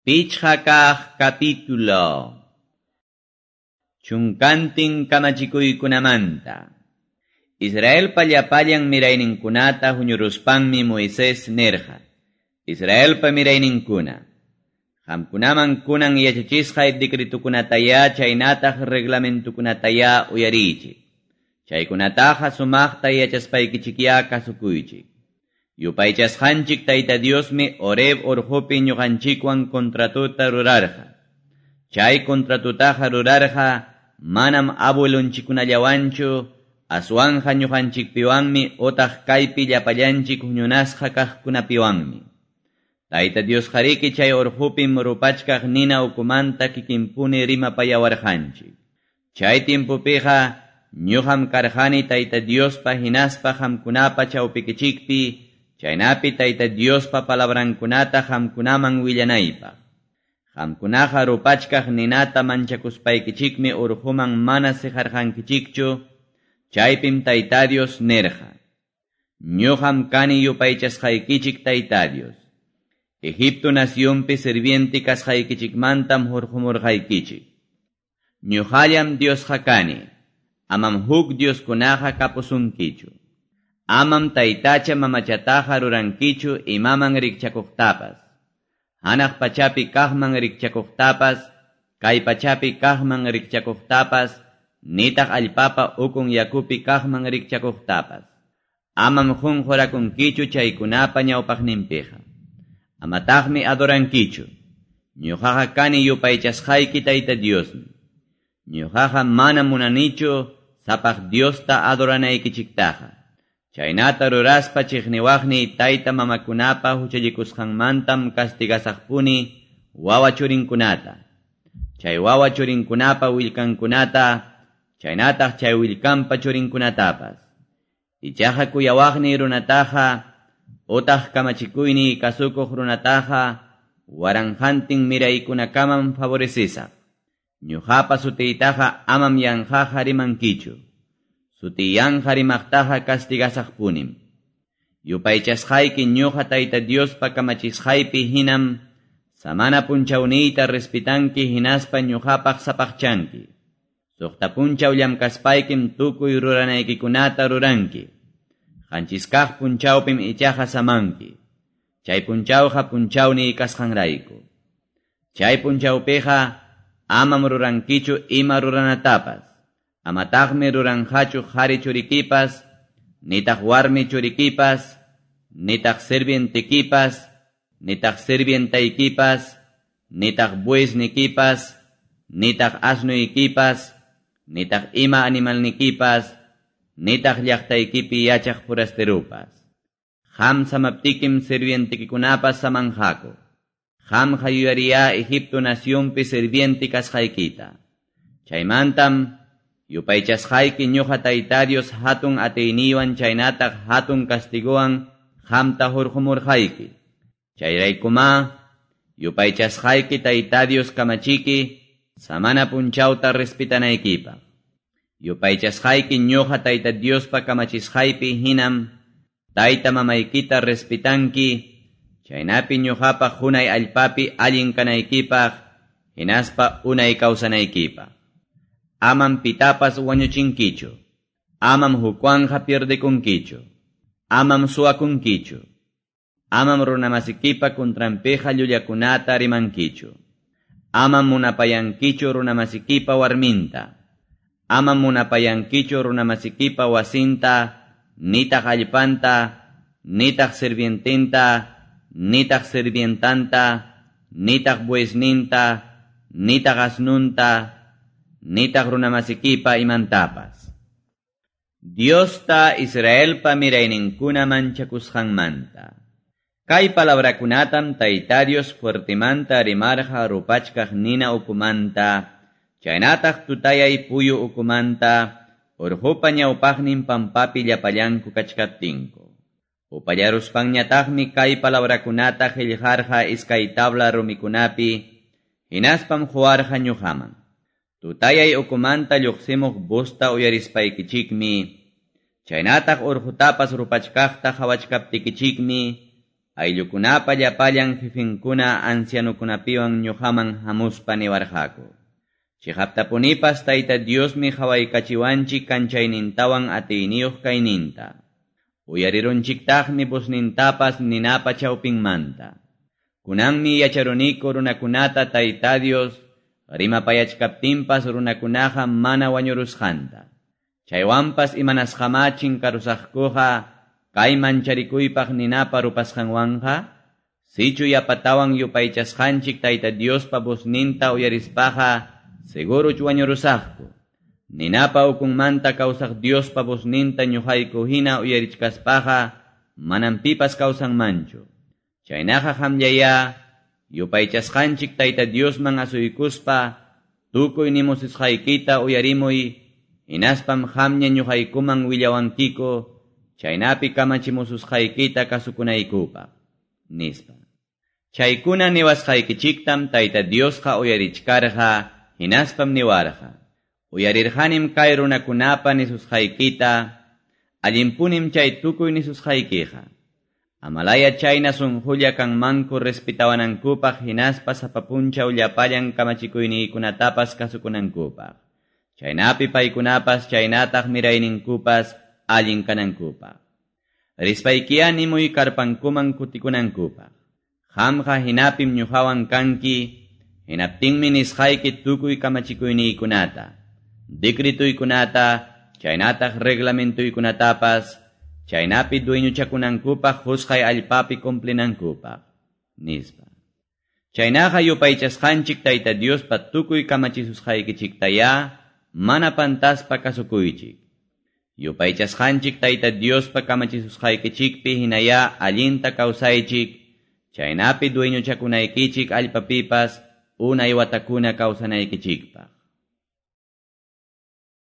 Pichqa kaq capítulo. Chunkantin kamachikuykunamanta. Israelpa llapallan mirayninkunata huñuruspanmi Moisés nirqa. Israelpa mirayninkuna. Qamkunaman kunan yachachisqay decretukunatayá chaynataq reglamentukunatayá uyariychik. Chaykunataqa sumaqta yachaspaykichikyá kasukuychik. Yupaychasqanchik Tayta Diosmi Horeb urqupi ñuqanchikwan contratuta rurarqa. Chay contratutaqa rurarqa manam abuelunchikkunallawanchu, aswanqa ñuqanchikpiwanmi utaq kaypi llapallanchik huñunasqa kaqkunapiwanmi. Tayta Diosqariki chay urqupim rupachkaq nina ukumanta kikinpuni rimapayawarqanchik. Chay timpupiqa ñuqam karqani Tayta Diospa hinaspa qamkunapa chawpikichikpi, chaynapi Tayta Diospa palabrankunata qamkunaman willanaypaq. Qamkunaqa rupachkaq ninata manchakuspaykichikmi urquman mana siqarqankichikchu, chaypim Tayta Dios nirqa. Ñuqam kani yupaychasqaykichik Tayta Dios. Egipto nacionpi sirviente kasqaykichikmantam hurqumurqaykichik. Ñuqallam Diosqa kani, amam huk Dioskunaqa kapusunkichu. Amam taytacha mamachataqa rurankichu imaman rikchakuqtapas. Hanaq pachapi kaqman rikchakuqtapas, kay pachapi kaqman rikchakuqtapas, nitaq allpapa ukun yakupi kaqman rikchakuqtapas. Amam qunqurakunkichu chaykunapa ñawpaqninpiqa. Amataqmi adorankichu. Ñuqaqa kani yupaychasqayki Tayta Diosmi. Ñuqaqa mana munanichu sapaq Diosta adoranaykichiktaqa. Chaynata ruraspa chiqniwaqni tayta mamakunapa huchallikusqanmantam castigasaqpuni wawa churinkunata. Chay wawa churinkunapa willkankunata, chaynataq chay willkanpa churinkunatapas. Ichaqa kuyawaqni runataqa, utaq kamachikuyni kasukuq runataqa, waranqantin miraykunakamam favorecisaq. Ñuqapa sutiytaqa amam yanqaqa rimankichu. Sutiyanqa rimaqtaqa castigasaqpunim. Yupaychasqayki ñuqa Tayta Diospa kamachisqaypi hinam samana punchawniyta respitanki hinaspa ñuqapaq sapaqchanki. Suqta punchaw llamkaspaykim tukuy ruranaykikunata ruranki. Qanchiskaq punchawpim ichaqa samanki. Chay punchawqa punchawniy kasqanrayku. Chay punchawpiqa amam rurankichu ima ruranatapas. Amataqmi ruranqachu qhari churikipas, nitaq warmi churikipas, nitaq sirvientekipas, nitaq sirvientaykipas, nitaq buesnikipas, nitaq asnuykipas, nitaq ima animalnikipas, nitaq llaqtaykipi yachaq forasterupas. Qam samaptikim sirvientekikunapas samanqaku. Qamqa yuyariyá Egipto nacionpi sirviente kasqaykita. Chaymantam yupaychasqayki ñuqa Tayta Dios hatun atiyniywan chaynataq hatun castigowan qamta hurqumurqayki. Chayraykumá yupaychasqayki Tayta Dios kamachiki samana punchawta respetanaykipaq. Yupaychasqayki ñuqa Tayta Diospa kamachisqaypi hinam tayta mamaykita respetanki, chaynapi ñuqapaq hunay allpapi allin kanaykipaq, hinaspa unay kawsanaykipaq. Amam pitapas wañuchinkichu. Amam hukwanqa pierdekunkichu. Amam suwakunkichu. Amam runamasikipa kuntranpiqa llullakunata rimankichu. Amam munapayankichu runamasikipa warminta. Amam munapayankichu runamasikipa wasinta, nitaq allpanta, nitaq sirvientinta, nitaq sirvientanta, nitaq buesninta, nitaq asnunta, nitaq runamasikipa imantapas. Diosta Israelpa mirayninkuna manchakusqanmanta. Kay palabrakunatam Tayta Dios fuertemanta rimarqa rupachkaq nina ukumanta, chaynataq tutayay puyu ukumanta, urqupa ñawpaqnin pampapi llapallanku kachkaptinku. Upallaruspanñataqmi kay palabrakunata qillqarqa iskay tabla rumikunapi, hinaspam quwarqa ñuqaman. Tutayay ukumanta lluqsimuq busta uyarispaykichikmi, chaynataq urqutapas rupachkaqta qhawachkaptikichikmi, Ayllukunapa llapallan jefenkuna ancianokunapiwan ñuqaman hamuspa niwarqaku: Chiqaptapunipas Tayta Diosmi qawaykachiwanchik kanchaynintawan atiyniyuq kayninta. Uyarirunchiktaqmi voznintapas ninapa chawpinmanta. Kunanmi yacharuniku runakunata Tayta Dios rimapayachkaptinpas runakunaqa mana wañurusqanta. Chaywanpas imanasqamá chinkarusaqkuqa kay mancharikuypaq ninapa rupasqanwanqa? Sichu yapatawan yupaychasqanchik Tayta Diospa vozninta uyarispaqa seguruch wañurusaqku. Ninapa ukunmanta kawsaq Diospa vozninta ñuqayku hina uyarichkaspaqa manam pipas kawsanmanchu. Chaynaqa qamllayá yupaychasqanchik Tayta Diosman asuykuspa tukuy nimusisqaykita uyarimuy, hinaspam qamña ñuqaykuman willawankiku chaynapi kamachimususqaykita kasukunaykupaq, nispa. Chaykuna niwasqaykichiktam Tayta Diosqa uyarichkarqa, hinaspam niwarqa: Uyarirqanim kay runakunapa nisusqaykita, allinpunim chay tukuy nisusqaykiqa. Amalaya chayna sunqulla kanmanku respetawanankupaq hinaspa sapa punchaw llapallan kamachikuyniykunatapas kasukunankupaq. Chaynapi paykunapas chaynataq mirayninkupas allin kanankupaq. Rispaykiya nimuy karpankuman kutikunankupaq. Qamqa hinapim ñuqawan kanki, hinaptinmi nisqayki tukuy kamachikuyniykunata, decretuykunata, chaynataq reglamentuykunatapas, chaynapi dueñochakunankupaq qusqay allpapi cumplinankupaq, nispa. Chaynaqa yupaychasqanchik Tayta Diospa tukuy kamachisusqaykichiktayá mana pantaspa kasukuychik. Yupaychasqanchik Tayta Diospa kamachisusqaykichikpi hinayá allinta kawsaychik, chaynapi dueñochakunaykichik allpapipas unay watakuna kawsanaykichikpaq.